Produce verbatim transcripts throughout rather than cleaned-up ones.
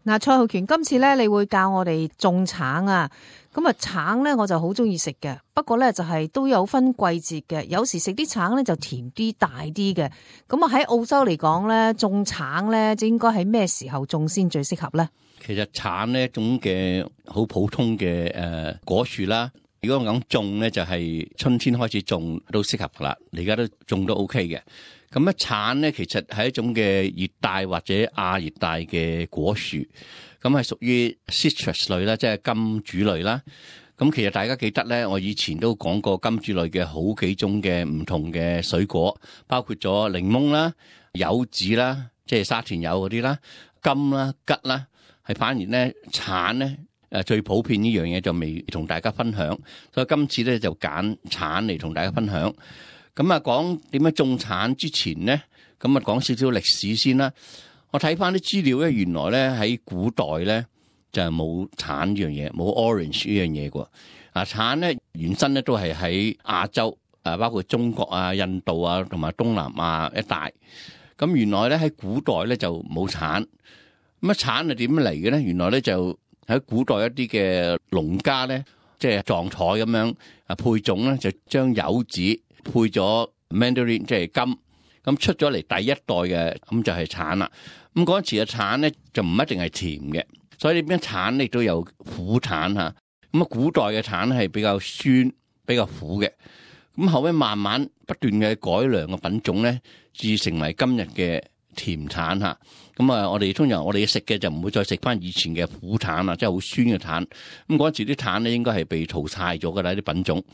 嗱，蔡浩權，今次咧你會教我哋種橙啊，咁啊橙咧我就好中意食嘅，不過咧就係都有分季節嘅，有時食啲橙咧就甜啲大啲嘅，咁啊喺澳洲嚟講咧種橙咧就應該喺咩時候種先最適合咧？其實橙呢一種嘅好普通嘅誒果樹啦，如果我講種咧就係春天開始種都適合噶啦，你而家都種都 OK 嘅。咁咧橙咧其實係一種嘅熱帶或者亞熱帶嘅果樹，咁係屬於 citrus 類啦，即係金主類啦。咁其實大家記得咧，我以前都講過金主類嘅好幾種嘅唔同嘅水果，包括咗檸檬啦、柚子啦，即係沙田柚嗰啲啦、柑啦、桔啦，係反而咧橙咧誒最普遍呢樣嘢就未同大家分享，所以今次咧就揀橙嚟同大家分享。咁啊，講點樣種橙之前咧，咁啊講少少歷史先啦。我睇翻啲資料咧，原來咧喺古代咧就係冇橙呢樣嘢，冇 orange 呢樣嘢嘅。啊，橙咧原身咧都係喺亞洲啊，包括中國啊、印度啊同埋東南亞一帶。咁原來咧喺古代咧就冇橙。咁啊，橙係點嚟嘅咧？原來咧就喺古代一啲嘅農家咧，即係撞彩咁樣啊配種咧，就將柚子配咗 mandarin 即係柑，咁出咗嚟第一代嘅，咁就係橙啦。咁嗰陣時嘅橙咧就唔一定係甜嘅，所以呢邊橙亦都有苦橙嚇。咁啊，古代嘅橙係比較酸、比較苦嘅。咁後尾慢慢不斷嘅改良嘅品種咧，至成為今日嘅甜橙嚇。咁啊，我哋通常我哋食嘅就唔會再食翻以前嘅苦橙啦，即係好酸嘅橙。咁嗰陣時啲橙咧應該係被淘汰咗㗎啦，啲品種。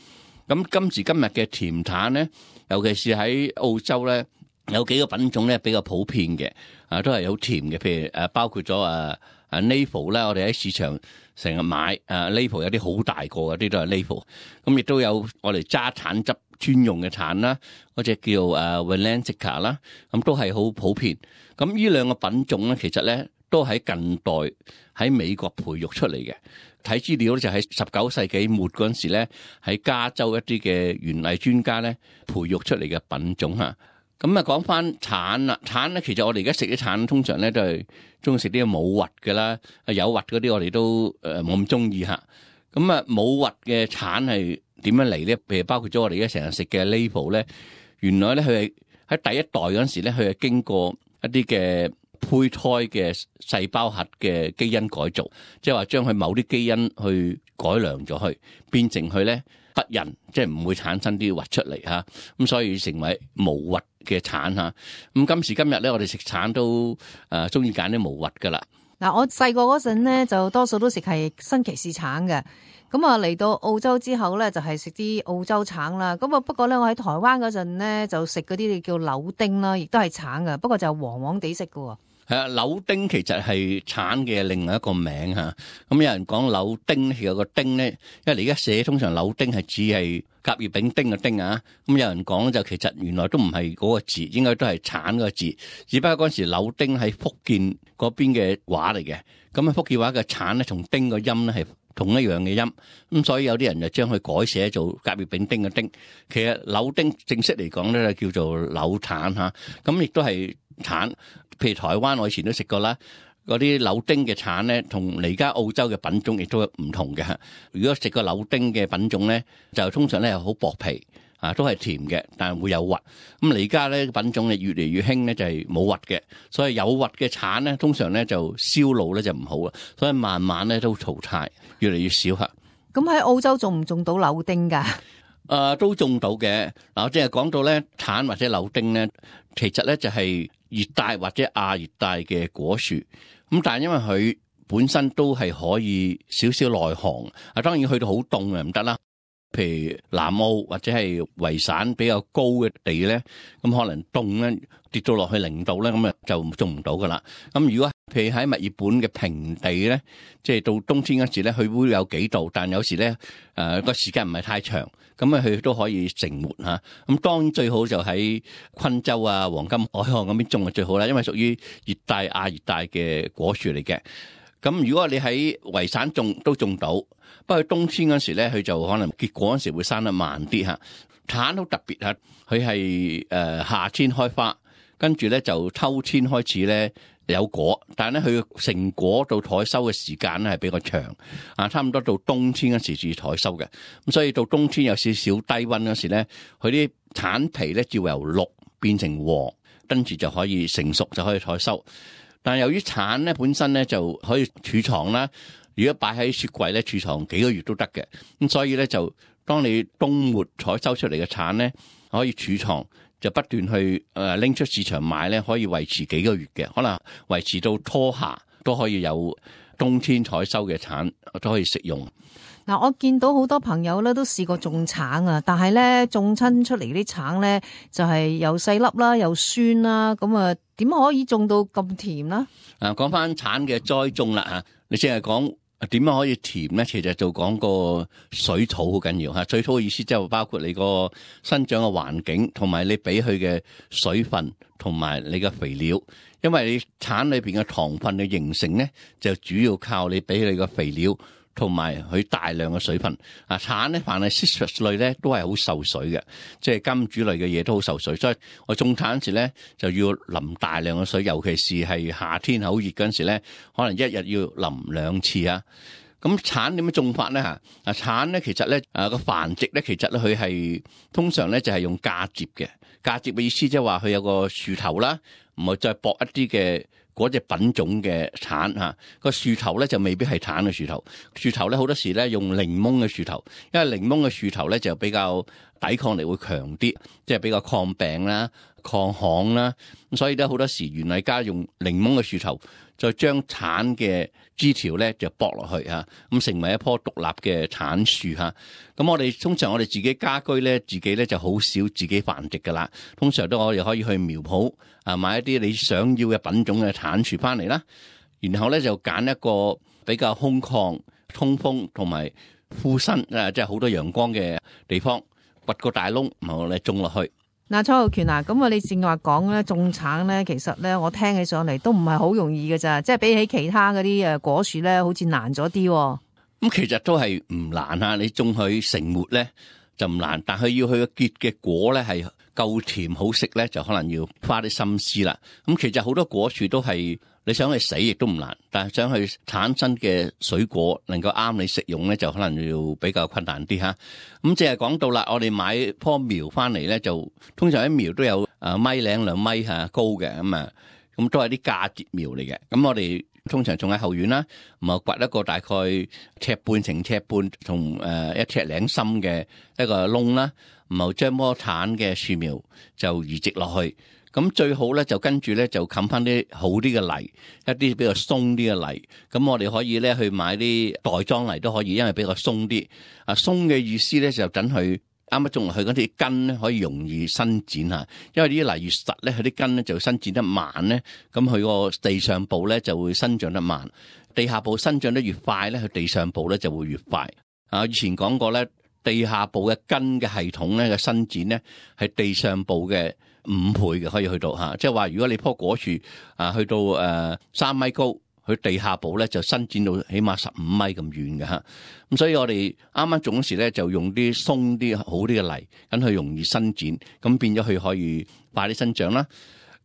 咁今時今日嘅甜橙咧，尤其是喺澳洲咧，有幾個品種咧比較普遍嘅，啊都係好甜嘅，譬如誒包括咗啊啊 Navel 啦，我哋喺市場成日買啊 Navel 有啲好大個嘅，啲都係 Navel。咁亦都有我哋揸橙汁專用嘅橙啦，嗰隻叫誒 Valencia 啦，咁都係好普遍。咁呢兩個品種咧，其實咧都喺近代喺美國培育出嚟嘅。睇資料咧就喺十九世紀末嗰陣時咧，喺加州一啲嘅園藝專家咧培育出嚟嘅品種嚇。咁啊講翻橙啦，橙咧其實我哋而家食啲橙通常咧都係中意食啲冇核嘅啦，有核嗰啲我哋都誒冇咁中意嚇。咁啊冇核嘅橙係點樣嚟咧？譬如包括咗我哋而家成日食嘅 Navel 咧，原來咧佢係喺第一代嗰陣時咧，佢係經過一啲嘅胚胎嘅細胞核嘅基因改造，即係話將佢某啲基因去改良咗去，變成佢咧不孕，即係唔會產生啲核出嚟嚇。咁所以成為無核嘅橙嚇。咁今時今日咧，我哋食橙都誒中意揀啲無核噶啦。嗱，我細個嗰陣咧就多數都食係新奇士橙嘅。咁啊嚟到澳洲之後咧，就係食啲澳洲橙啦。咁啊不過咧，我喺台灣嗰陣咧就食嗰啲叫柳丁啦，亦都係橙嘅，不過就黃黃地色嘅。係啊，柳丁其實係橙嘅另外一個名嚇。咁有人講柳丁，其實個丁咧，因為你而家寫通常柳丁係指係甲乙丙丁嘅丁啊。咁有人講就其實原來都唔係嗰個字，應該都係橙嗰個字。只不過嗰陣時柳丁喺福建嗰邊嘅話嚟嘅。咁啊福建話嘅橙咧，同丁個音咧係同一樣嘅音。咁所以有啲人就將佢改寫做甲乙丙丁嘅丁。其實柳丁正式嚟講咧就叫做柳橙嚇。咁亦都係橙。譬如台灣，我以前都食過啦，嗰啲柳丁嘅橙咧，同而家澳洲嘅品種亦都唔同嘅。如果食個柳丁嘅品種咧，就通常咧係好薄皮啊，都係甜嘅，但係會有核。咁而家咧品種咧越嚟越興咧，就係冇核嘅，所以有核嘅橙咧，通常咧就銷路咧就唔好啦，所以慢慢咧都淘汰，越嚟越少嚇。咁喺澳洲種唔種到柳丁㗎？誒、呃，都種到嘅。嗱，我即係講到咧橙或者柳丁咧，其實咧就係熱帶或者亞熱帶嘅果樹，咁但係因為佢本身都係可以少少耐寒，啊當然去到好凍啊唔得啦。譬如南澳或者係維省比較高嘅地咧，咁可能凍咧跌到落去零度咧，咁啊就種唔到噶啦。咁如果譬如喺墨爾本嘅平地咧，即係到冬天嗰時咧，佢會有幾度，但有時咧誒個時間唔係太長。咁啊，佢都可以成活嚇。咁當然最好就喺昆州啊、黃金海岸嗰邊種就最好啦，因為屬於熱帶亞熱帶嘅果樹嚟嘅。咁如果你喺維省種都種到，不過冬天嗰時咧，佢就可能結果嗰時會生得慢啲嚇。橙好特別嚇，佢係誒夏天開花，跟住咧就秋天開始咧有果，但係咧佢成果到採收嘅時間咧係比較長，啊，差唔多到冬天嗰時至採收嘅。咁所以到冬天有少少低溫嗰時咧，佢啲橙皮咧就由綠變成黃，跟住就可以成熟就可以採收。但係由於橙咧本身咧就可以儲藏啦，如果擺喺雪櫃咧儲藏幾個月都得嘅。咁所以咧就當你冬末採收出嚟嘅橙咧可以儲藏，就不斷去誒拎出市場賣咧，可以維持幾個月嘅，可能維持到初夏都可以有冬天採收嘅橙都可以食用。嗱，我見到好多朋友咧都試過種橙啊，但係咧種親出嚟啲橙咧就係又細粒啦，又酸啦，咁啊點可以種到咁甜啦？啊，講翻橙嘅栽種啦嚇，你淨係講點樣可以甜咧？其實就講個水土好緊要嚇。水土嘅意思即係包括你個生長嘅環境，同埋你俾佢嘅水分，同埋你嘅肥料。因為你橙裏邊嘅糖分嘅形成咧，就主要靠你俾你嘅肥料同埋佢大量嘅水分。啊，橙咧凡係 citrus 類咧都係好受水嘅，即係金主類嘅嘢都好受水。所以我種橙時咧就要淋大量嘅水，尤其是係夏天好熱嗰陣時咧，可能一日要淋兩次啊。咁橙點樣種法咧嚇？啊，橙咧其實咧啊個繁殖咧其實咧佢係通常咧就係用嫁接嘅。嫁接嘅意思即係話佢有個樹頭啦，唔係再駁一啲嘅嗰隻品種嘅橙嚇。個樹頭咧就未必係橙嘅樹頭，樹頭咧好多時咧用檸檬嘅樹頭，因為檸檬嘅樹頭咧就比較抵抗力會強啲，即係比較抗病啦、抗旱啦。咁所以咧好多時園藝家用檸檬嘅樹頭，再將橙嘅枝條咧就駁落去嚇，咁成為一棵獨立嘅橙樹嚇。咁我哋通常我哋自己家居咧，自己咧就好少自己繁殖噶啦。通常都我哋可以去苗圃啊買一啲你想要嘅品種嘅橙樹翻嚟啦，然後咧就揀一個比較空曠、通風同埋枯身啊，即係好多陽光嘅地方，掘個大窿，然後咧種落去。嗱，蔡浩權啊，咁啊，你正話講咧種橙咧，其實咧我聽起上嚟都唔係好容易嘅咋，即係比起其他嗰啲誒果樹咧，好似難咗啲。咁其實都係唔難啊，你種佢成末咧就唔難，但係要佢嘅結嘅果咧係夠甜好食咧，就可能要花啲心思啦。咁其實好多果樹都係你想去死亦都唔難，但係想去產生嘅水果能夠啱你食用咧，就可能要比較困難啲吓。咁淨係講到啦，我哋買棵苗翻嚟咧，就通常啲苗都有誒米零兩米吓高嘅，咁啊，咁都係啲嫁接苗嚟嘅。咁我哋通常種喺後院啦，咁啊掘一個大概尺半乘尺半同誒一尺零深嘅一個窿啦，然後將棵橙嘅樹苗就移植落去。咁最好咧就跟住咧就冚翻啲好啲嘅泥，一啲比較鬆啲嘅泥。咁我哋可以咧去買啲袋裝泥都可以，因為比較鬆啲。啊，鬆嘅意思咧就等佢啱啱種落去嗰啲根咧可以容易伸展下，因為啲泥越實咧，佢啲根咧就伸展得慢咧，咁佢個地上部咧就會生長得慢，地下部生長得越快咧，佢地上部咧就會越快。啊，以前講過咧，地下部嘅根嘅系統咧嘅伸展咧係地上部嘅五倍嘅，可以去到吓，即係話如果你棵果樹啊去到誒三米高，佢地下部咧就伸展到起碼十五米咁遠嘅吓。咁所以我哋啱啱種時咧就用啲鬆啲好啲嘅泥，咁佢容易伸展，咁變咗佢可以快啲生長啦。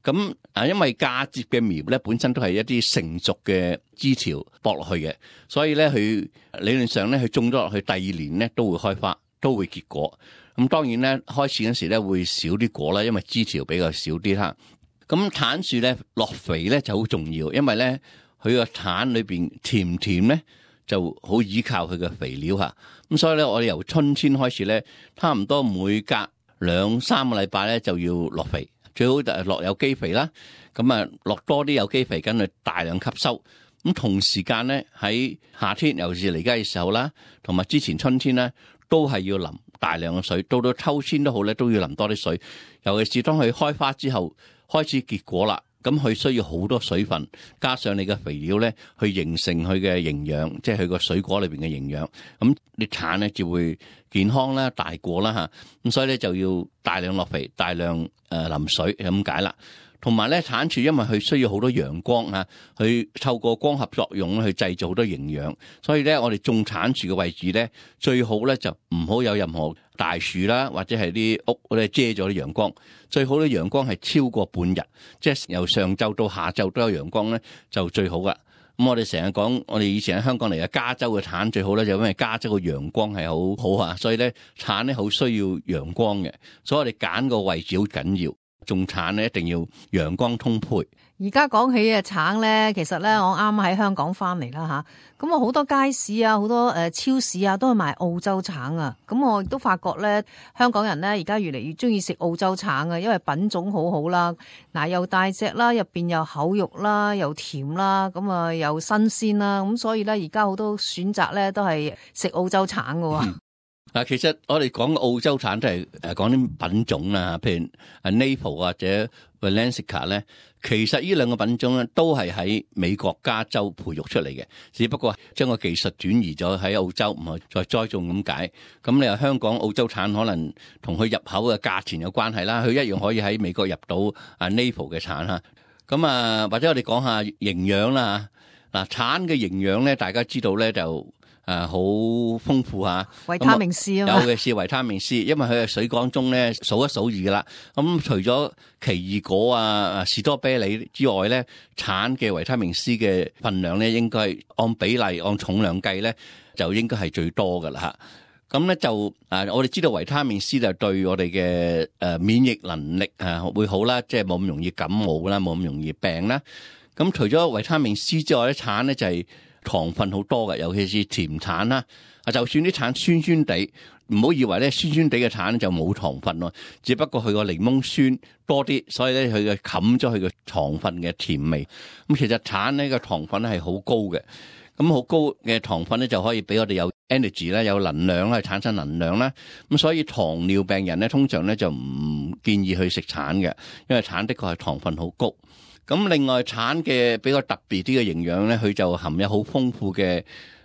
咁啊，因為嫁接嘅苗咧本身都係一啲成熟嘅枝條駁落去嘅，所以咧佢理論上咧佢種咗落去第二年咧都會開花，都會結果。咁當然咧，開始嗰時咧會少啲果啦，因為枝條比較少啲啦。咁橙樹咧落肥咧就好重要，因為咧佢個橙裏邊甜唔甜咧就好依靠佢嘅肥料嚇。咁所以咧，我哋由春天開始咧，差唔多每隔兩三個禮拜咧就要落肥，最好就係落有機肥啦。咁啊，落多啲有機肥，跟住大量吸收。咁同時間咧喺夏天，尤其是嚟家嘅時候啦，同埋之前春天咧，都係要淋大量嘅水，到到秋天都好咧，都要淋多啲水。尤其是當佢開花之後，開始結果啦，咁佢需要好多水分，加上你嘅肥料咧，去形成佢嘅營養，即係佢個水果裏邊嘅營養。咁啲橙咧就會健康啦、大果啦吓。咁所以咧就要大量落肥，大量誒淋水咁解啦。同埋咧產樹因為佢需要好多陽光啊，佢透過光合作用去製造好多營養，所以咧我哋種產樹嘅位置咧最好咧就唔好有任何大樹啦，或者係啲屋咧遮咗啲陽光，最好咧陽光係超過半日，即係由上晝到下晝都有陽光咧就最好噶。咁我哋成日講，我哋以前喺香港嚟嘅加州嘅橙最好咧，就因為加州嘅陽光係好好啊，所以咧橙咧好需要陽光嘅，所以我哋揀個位置好緊要。種橙咧一定要陽光充沛。而家講起嘅橙咧，其實咧我啱喺香港翻嚟啦吓，咁我好多街市啊，好多誒超市啊，都係賣澳洲橙啊。咁我亦都發覺咧，香港人咧而家越嚟越中意食澳洲橙啊，因為品種好好啦，嗱又大隻啦，入邊又厚肉啦，又甜啦，咁啊又新鮮啦，咁所以咧而家好多選擇咧都係食澳洲橙噶。嗯嗱，其實我哋講澳洲橙都係誒講啲品種啦，譬如啊 Naple 或者 Valencia 咧，其實呢兩個品種咧都係喺美國加州培育出嚟嘅，只不過將個技術轉移咗喺澳洲，唔係再栽種咁解。咁你話香港澳洲橙可能同佢入口嘅價錢有關係啦，佢一樣可以喺美國入到啊 Naple 嘅橙嚇。咁啊，或者我哋講下營養啦嚇。嗱，橙嘅營養咧，大家知道咧就。誒好豐富嚇，維他命 C 啊嘛，有嘅是維他命 C， 因為佢係水果中咧數一數二噶啦。咁除咗奇異果啊、士多啤梨之外咧，橙嘅維他命 C 嘅份量咧，應該係按比例、按重量計咧，就應該係最多噶啦嚇。咁咧就啊，我哋知道維他命 C 就對我哋嘅誒免疫能力啊會好啦，即係冇咁容易感冒啦，冇咁容易病啦。咁除咗維他命 C 之外咧，橙咧就係糖分好多嘅，尤其是甜橙啦。啊，就算啲橙酸酸地，唔好以為咧酸酸地嘅橙就冇糖分咯，只不過佢個檸檬酸多啲，所以咧佢嘅冚咗佢嘅糖分嘅甜味。咁其實橙呢個糖分咧係好高嘅，咁好高嘅糖分咧就可以俾我哋有 energy 啦，有能量啦，產生能量啦。咁所以糖尿病人咧通常咧就唔建議去食橙嘅，因為橙的確係糖分好高。咁另外橙嘅比較特別啲嘅營養咧，佢就含有好豐富嘅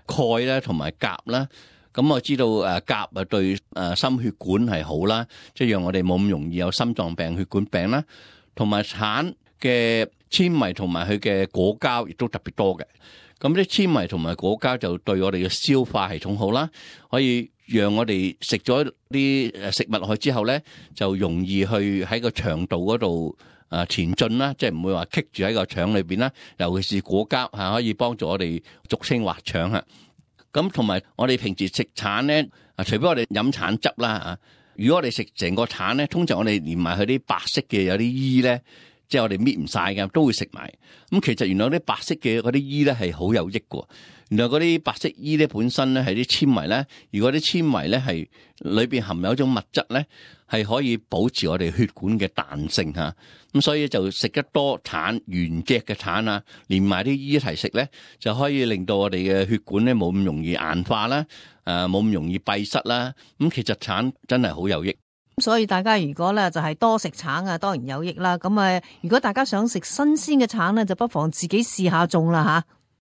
鈣啦，同埋鉀啦。咁我知道誒鉀啊對誒心血管係好啦，即係讓我哋冇咁容易有心臟病、血管病啦。同埋橙嘅纖維同埋佢嘅果膠亦都特別多嘅。咁啲纖維同埋果膠就對我哋嘅消化系統好啦，可以讓我哋食咗啲誒食物落去之後咧，就容易去喺個腸道嗰度啊前進啦，即係唔會話棘住喺個腸裏邊啦。尤其是果膠嚇，可以幫助我哋俗稱滑腸嚇。咁同埋我哋平時食橙咧，啊除非我哋飲橙汁啦啊，如果我哋食成個橙咧，通常我哋連埋佢啲白色嘅有啲衣咧，即係我哋搣唔晒嘅，都會食埋。咁其實原來啲白色嘅嗰啲衣咧係好有益嘅。原來嗰啲白色衣咧本身咧係啲纖維咧，如果啲纖維咧係裏邊含有一種物質咧，係可以保持我哋血管嘅彈性嚇。咁所以就食得多橙原隻嘅橙啊，連埋啲衣一齊食咧，就可以令到我哋嘅血管咧冇咁容易硬化啦，誒冇咁容易閉塞啦。咁其實橙真係好有益。所以大家如果咧就係多食橙啊，當然有益啦。咁啊，如果大家想食新鮮嘅橙咧，就不妨自己試下種啦嚇。